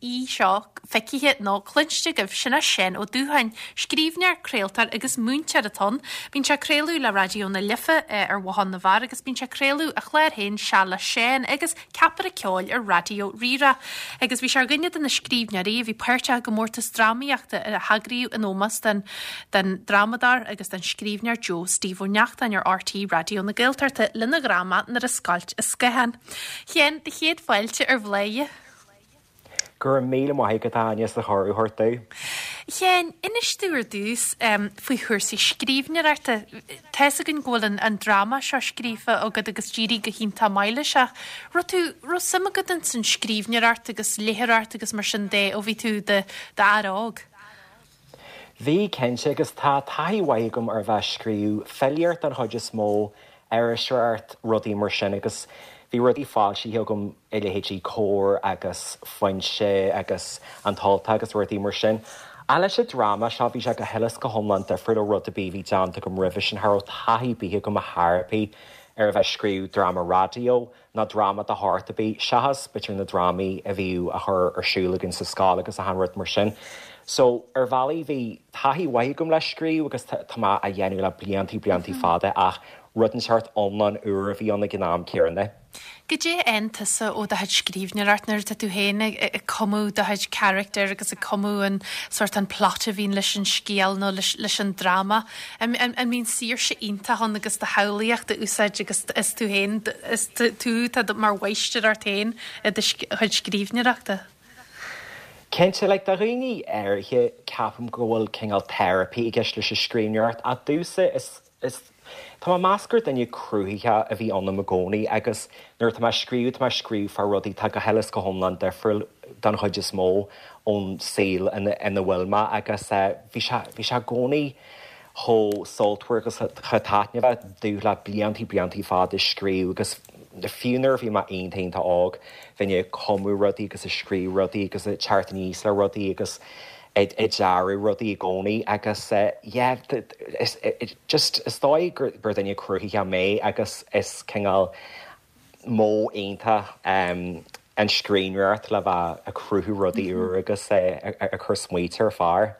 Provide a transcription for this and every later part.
aoi seo feicthe nó cluinste agaibh, sin é Seán Ó Dúcháin. Scríbhneoir, craoltóir agus múinteoir atá ann. Bíonn sé ag craoladh le Raidió na Life ar Bhothán na bhFear agus bíonn sé ag craoladh a chlár féin Seal le Seán agus Ceapaire Ceoil ar Raidió Rí-Rá. Agus bhí sé ar dhuine de na scríbhneoirí a bhí páirteach i gcomórtas drámaíochta a heagraíodh in ómós don don drámadóir agus don scríbhneoir Joe Steve Ó Neachtain ar RTÉ Raidió na Gaeltachta lena dhráma Nuair a Scoilt an Scáthán. A Sheáin, do chéad fáilte ar Bhladhaire. Go raibh míle maith agat, a Áine, as an chuireadh a thabhairt domh. A Sheáin, inis domh ar dtús faoi chúrsaí scríbhneoireachta. Tá fhios againn go bhfuil an an dráma seo scríofa agat agus d'éirigh go hiontach maith leis ach raibh tú, raibh suim agat ins an scríbhneoireacht agus léitheoireacht agus mar sin de ó bhí tú i d'fhear óg? Bhí, cinnte, agus tá taithí mhaith agam ar bheith ag scríobh filíocht den chuid is mó, iriseoireacht, rudaí mar sin agus bhí rudaí foilsithe agam i leithéidí Comhar agus Foinse agus An tUltach agus rudaí mar sin. Ach leis an dráma seo bhí sé go huile is go hiomlán difriúil ó rud ar bith a bhí déanta agam roimhe sin, cha raibh taithí ar bith agam ar chor ar bith ar a bheith ag scríobh dráma raidió. ná dráma de shórt ar bith, seachas b'fhéidir na drámaí a bhíodh á chur ar siúl againn sa scoil agus achan rud mar sin. So, ar bhealaí bhí taithí mhaith agam le scríobh agus tá mé á dhéanamh le bliantaí, bliantaí fada ach rud inteacht iomlán úr a bhí ann ag an am céanna. Goidé a fhaigheann tusa ó do chuid scríbhneoireacht nuair atá tú féin ag cumadh do chuid carachtar agus ag cumadh an sórt an plot a bhíonn leis an scéal nó leis an dráma? An mbíonn saoirse iontach ann agus do shamhlaíocht a úsáid agus is tú féin, is tú atá mar mháistir ort féin i do chuid scríbhneoireachta? Cinnte, like, do dhaoine áirithe ceapaim go bhfuil cineál therapy i gceist leis an scríbhneoireacht ach domhsa is, is, tá mé ag meas gur duine cruthaitheach a bhí ionam i gcónaí agus nuair atá mé ag scríobh, tá mé ag scríobh fá rudaí atá go huile is go hiomlán difriúil don chuid is mó ón saol ina bhfuil mé agus bhí sé, bhí sé i gcónaí chomh sultmhar agus chomh taitneamhach domh le bliantaí, bliantaí fada ag scríobh agus fiú nuair a bhí mé iontach, iontach óg, bheinn ag cumadh rudaí agus ag scríobh rudaí agus ag teacht aníos le rudaí agus ag dearadh rudaí i gcónaí agus yeah, just is dóigh gur duine cruthaitheach mé agus is cineál modh iontach an scríbhneoireacht le bheith ag cruthú rudaí úr agus ag cur smaointe ar phár.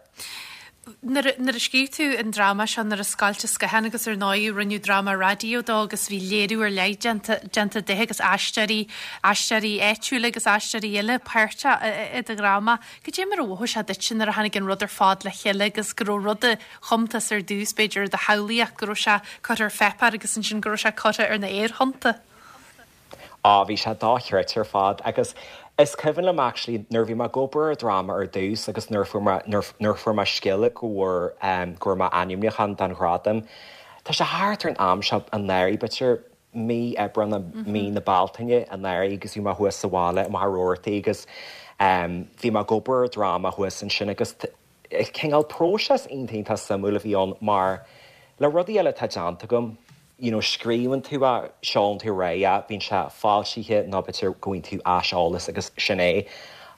Nuair a scríobh tú an dráma seo, Nuair a Scoilt an Scáthán, agus ar ndóigh rinneadh dráma raidió dó agus bhí léiriú ar leith déanta déanta de agus aisteoirí, aisteoirí áitiúla agus aisteoirí eile páirteach i do dhráma. Cad é mar a mhothaigh sé duitse nuair a tháinig an rud ar fad le chéile agus go raibh rud a chum tusa ar dtús, b'fhéidir, i do shamhlaíocht, go raibh sé curtha ar pháipéar agus ansin go raibh sé curtha ar na haerthonnta. Á, bhí sé dochreidte ar fad agus is cuimhin liom actually nuair a bhí mé ag obair ar dráma ar dtús agus nuair a fuair mé, nuair, nuair a fuair mé scéala go bhfuair, em, go raibh mé ainmniúchán don ghradam, tá sé thart ar an am seo anuraidh, b'fhéidir mí Aibreán nó mí na Bealtaine anuraidh agus bhí mé thuas sa bhaile i Machaire Rabhartaigh agus, em, bhí mé ag obair ar dráma thuas ansin agus cineál próiseas iontach iontach suimiúil a bhí ann mar le rudaí eile atá déanta agam, you know scríobhann tú é, seolann tú ar aghaidh é, bíonn sé foilsithe nó b'fhéidir go bhfaigheann tú aiseolas agus sin é.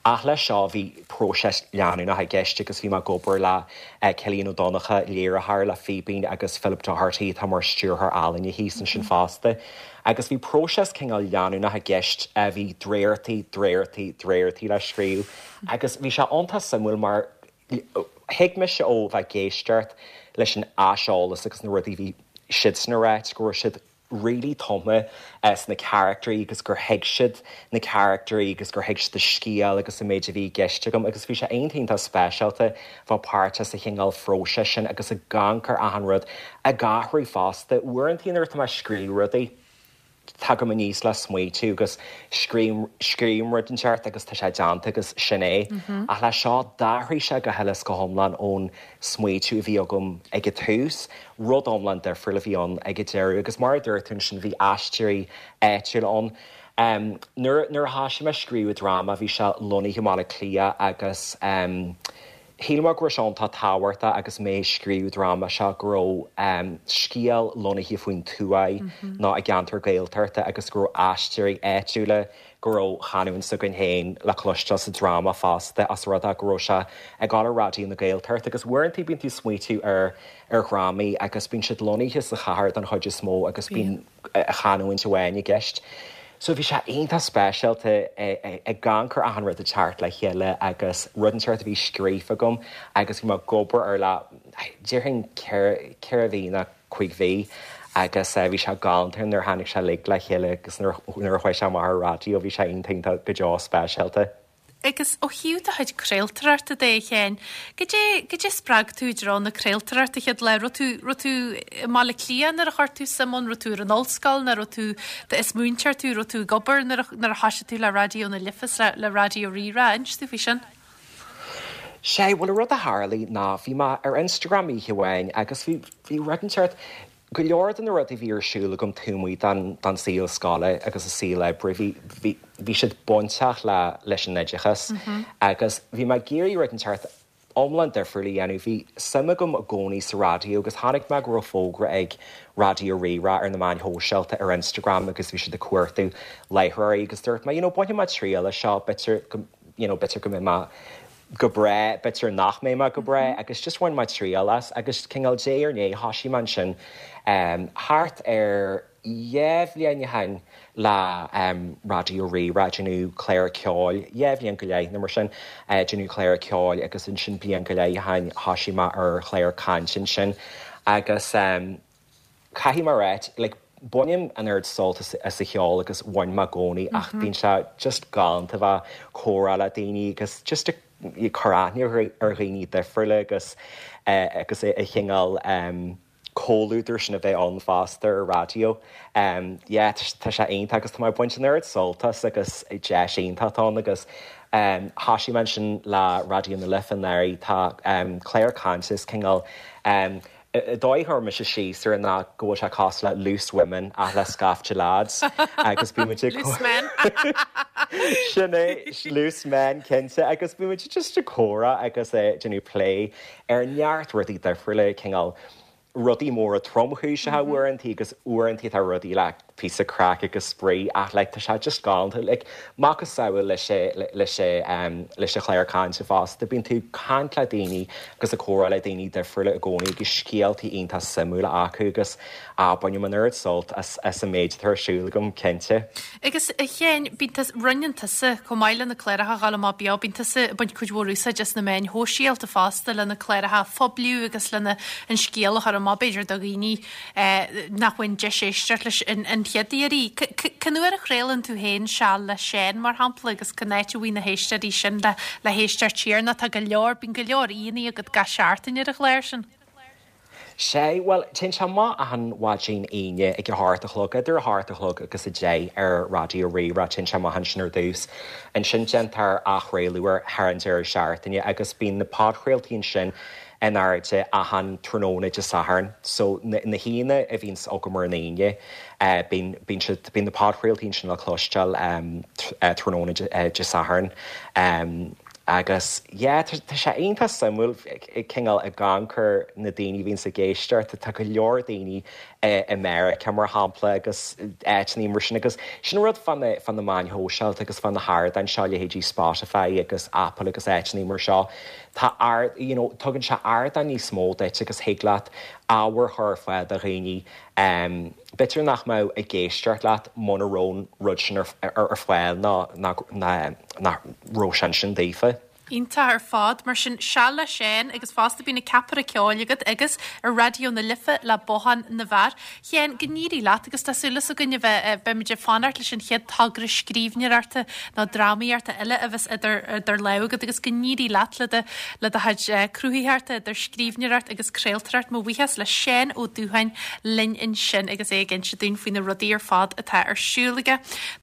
Ach leis seo bhí próiseas leanúnach i gceist agus bhí mé ag obair le Cillian Ó Donnchadha, léiritheoir le Fíbín agus Philip Doherty atá mar stiúrthóir ealaíne thíos ansin fosta. Agus bhí próiseas cineál leanúnach i gceist, bhí dréachtaí, dréachtaí, dréachtaí le scríobh agus bhí sé iontach suimiúil mar thuig mise ó bheith ag éisteacht leis an aiseolas agus na rudaí a bhí siadsan a ráit go raibh siad really tumtha sna caractairí agus gur thuig siad na caractairí agus gur thuig siad an scéal agus an méid a bhí i gceist agam agus bhí sé iontach iontach speisialta bheith páirteach sa chineál phróiseas sin agus ag amharc ar achan rud ag athrú fosta. Uaireanta nuair atá mé ag scríobh rudaí, tagaim aníos le smaoitiú agus scríobhaim, scríobhaim rud inteacht agus tá sé déanta agus sin é. Ach leis seo, d'athraigh sé go huile is go hiomlán ón smaoitiú a bhí agam ag an tús, rud iomlán difriúil a bhí ann ag an deireadh agus mar a dúirt tú ansin, bhí aisteoirí áitiúla ann. Nuair, nuair a thoisigh mé ag scríobh an dráma, bhí sé lonnaithe i mBaile Átha Cliath agus Shíl mé go raibh sé iontach tábhachtach agus mé ag scríobh an dráma seo go raibh scéal lonnaithe faoin tuaith nó i gceantar Gaeltachta agus go raibh aisteoirí áitiúla, go raibh canúint s'againn féin le cloisteáil sa dráma fosta os rud é go raibh sé ag dul ar Raidió na Gaeltachta agus uaireanta bíonn tú ag smaoitiú ar ar dhrámaí agus bíonn siad lonnaithe sa chathair don chuid is mó agus bíonn chanúint amháin i gceist. So bhí sé iontach speisialta ag amharc ar achan rud ag teacht le chéile agus rud inteacht a bhí scríofa agam agus bhí mé ag obair air le, déarfainn 4 mhí nó 5 mhí agus bhí sé galánta nuair a tháinig sé uilig le chéile agus nuair a chuaigh sé amach ar an raidió bhí sé iontach iontach go deo speisialta. Agus ó thaobh do chuid craoltóireachta de, a Sheáin, goidé, goidé spreag tú i dtreo na craoltóireachta chéad lá? Raibh tú, raibh tú i mBaile Átha Cliath nuair a chuir tú suim ann, raibh tú ar an ollscoil nó raibh tú, is múinteoir tú, raibh tú ag obair nuair a, nuair a thoisigh tú le Raidió na Life is le, le Raidió Rí-Rá? Inis domh faoi sin. Sea, bhuel an rud a tharlaigh ná bhí mé ar Instagram oíche amháin agus bhí, bhí rud inteacht, Go leor de na rudaí a bhí ar siúl agam taobh amuigh den den saol scoile agus an saol oibre, bhí bhí bhí siad bainteach le leis an oideachas agus bhí mé ag iarraidh rud inteacht iomlán difriúil a dhéanamh. Bhí suim agam i gcónaí sa raidió agus chonaic mé go raibh fógra ag Raidió Rí-Rá ar na meáin shóisialta ar Instagram agus bhí siad ag cuartú láithreoirí agus dúirt mé you know bainfidh mé triail as seo, b'fhéidir go you know b'fhéidir go mbeidh mé go breá, b'fhéidir nach mbeidh mé go breá agus just bhain mé triail as agus cineál diaidh ar ndiaidh thoisigh mé ansin thart ar 2 bhliain ó shin le Raidió Rí-Rá, déanamh clár ceoil, 2 bhliain go leith nó mar sin, déanamh clár ceoil agus ansin bliain go leith ó shin thoisigh mé ar chlár cainte ansin agus. Caithfidh mé a ráit, like, bainim an oiread sult as an cheol agus bhain mé i gcónaí ach bíonn sé just galánta bheith ag comhrá le daoine agus just ag cur aithne ar dhaoine difriúla agus agus an cineál comhluadar sin a bheith ann fosta ar raidió. Yeah, tá sé iontach agus tá mé ag baint an oiread sult as agus deis iontach atá ann agus thoisigh mé ansin le Raidió na Life anuraidh, tá clár cainte is cineál An dóigh a chuir mise síos air ná go bhfuil sé cosúil le Loose Women ach le scaifte lads agus bíonn muid ag Loose men! Sin é, loose men cinnte agus bíonn muid just ag comhrá agus ag déanamh plé ar neart rudaí difriúla, cineál rudaí móra tromchúiseacha uaireanta agus uaireanta tá rudaí le píosa craic agus spraoi ach like tá sé just galánta like macasamhail leis leis leis an chlár cainte fosta bíonn tú ag caint le daoine agus ag comhrá le daoine difriúla i gcónaí agus scéaltaí iontach suimiúla acu agus ah bainim an oiread sult as as an méid atá ar siúl agam cinnte. Agus a Sheáin, bíonn tusa, roinneann tusa, chomh maith le na cláracha a ghabháil amach beo, bíonn tusa ag baint cuid mhór úsáid as na meáin shóisialta fosta le na cláracha a phoibliú agus lena an scéal a chur amach b'fhéidir do dhaoine nach bhfaigheann deis éisteacht leis an chéad iarraidh. Cén uair a chraolann tú féin Seal le Seán, mar shampla, agus cén áit a bhfaighidh na héisteoirí sin le héisteacht siar nó tá go leor, bíonn go leor aíonna agat gach seachtain ar an chlár sin. Sea, bhuel, téann sé amach achan mhaidin Aoine ag a hocht a chlog, idir a hocht a chlog agus a deich ar Raidió Rí-Rá, téann sé amach ansin ar dtús. Ansin déantar athchraoladh air thar an deireadh seachtaine agus bíonn na podchraoltaí ansin in airde achan tráthnóna Dé Sathairn. So na haíonna a bhíonns agam ar an Aoine, bíonn, bíonn siad, bíonn na podchraoltaí ansin le cloisteáil tráthnóna Dé Sathairn. Agus yeah, tá, tá sé iontach suimiúil cineál ag amharc ar na daoine a bhíonns ag éisteacht, tá go leor daoine i Meiriceá mar shampla agus áiteanna mar sin agus sin rud fá na, fá na meáin shóisialta agus fá na hardáin seo, leithéidí Spotify agus Apple agus áiteanna mar seo. Tá ard, you know, tugann sé ardán níos mó duit agus thig leat ábhar a chur ar fáil do dhaoine b'fhéidir nach mbeadh ag éisteacht leat muna raibh an rud sin ar, ar fáil ná, ná, nach raibh sé ansin daofa. Iontach ar fad. Mar sin, Seal le Seán agus fosta bíonn an ceapaire ceoil agat agus ar Raidió na Life le Bothán na bhFear. Sheáin, go n-éirí leat agus tá súil againn a bheith, beimid ag fanacht leis an chéad togra scríbhneoireachta nó drámaíochta eile a bheas idir, idir lámha agat agus go n-éirí leat le do, le do chuid cruthaitheachta idir scríbhneoireacht agus craoltóireacht. Mo bhuíochas le Seán Ó Dúcháin linn ansin agus é ag inse dúinn faoi na rudaí ar fad atá ar siúl aige.